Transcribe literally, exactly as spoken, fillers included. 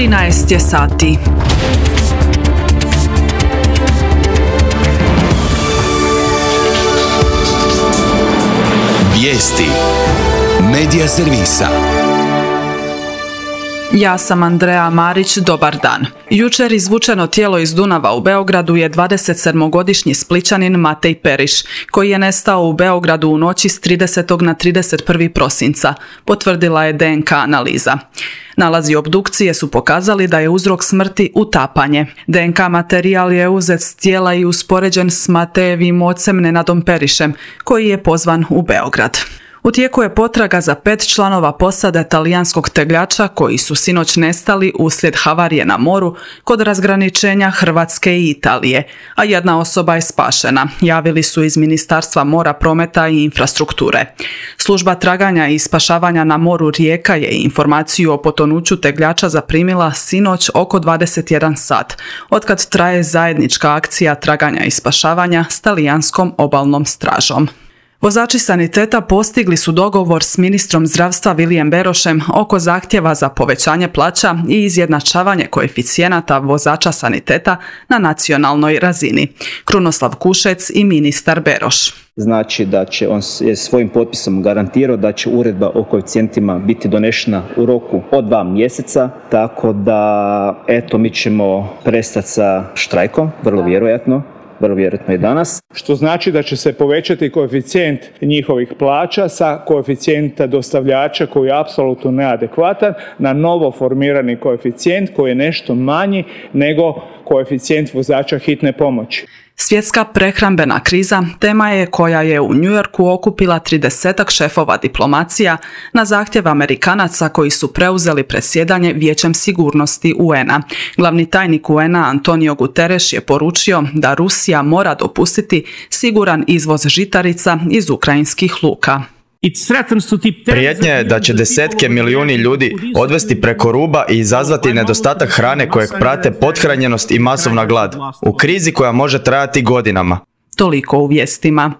trinaest je sati. Vijesti Medija servisa. Ja sam Andreja Marić, dobar dan. Jučer izvučeno tijelo iz Dunava u Beogradu je dvadesetsedmogodišnji Splićanin Matej Periš, koji je nestao u Beogradu u noći s tridesetog na trideset prvi prosinca, potvrdila je D N K analiza. Nalazi obdukcije su pokazali da je uzrok smrti utapanje. D N K materijal je uzet s tijela i uspoređen s Matejevim ocem Nenadom Perišem, koji je pozvan u Beograd. U tijeku je potraga za pet članova posade talijanskog tegljača koji su sinoć nestali uslijed havarije na moru kod razgraničenja Hrvatske i Italije, a jedna osoba je spašena, javili su iz Ministarstva mora, prometa i infrastrukture. Služba traganja i spašavanja na moru Rijeka je informaciju o potonuću tegljača zaprimila sinoć oko dvadeset jedan sat, otkad traje zajednička akcija traganja i spašavanja s talijanskom obalnom stražom. Vozači saniteta postigli su dogovor s ministrom zdravstva Vilijem Berošem oko zahtjeva za povećanje plaća i izjednačavanje koeficijenata vozača saniteta na nacionalnoj razini. Krunoslav Kušec i ministar Beroš. Znači da će on je svojim potpisom garantirao da će uredba o koeficijentima biti donešena u roku od dva mjeseca, tako da eto mi ćemo prestati sa štrajkom, vrlo vjerojatno. vrlo vjerojatno i danas. Što znači da će se povećati koeficijent njihovih plaća sa koeficijenta dostavljača koji je apsolutno neadekvatan na novo formirani koeficijent koji je nešto manji nego koeficijent vozača hitne pomoći. Svjetska prehrambena kriza tema je koja je u New Yorku okupila tridesetak šefova diplomacija na zahtjev Amerikanaca koji su preuzeli predsjedanje Vijećem sigurnosti U N A. Glavni tajnik U N A Antonio Guterres je poručio da Rusija mora dopustiti siguran izvoz žitarica iz ukrajinskih luka. Prijetnja je da će desetke milijuni ljudi odvesti preko ruba i izazvati nedostatak hrane kojeg prate pothranjenost i masovna glad, u krizi koja može trajati godinama. Toliko u vijestima.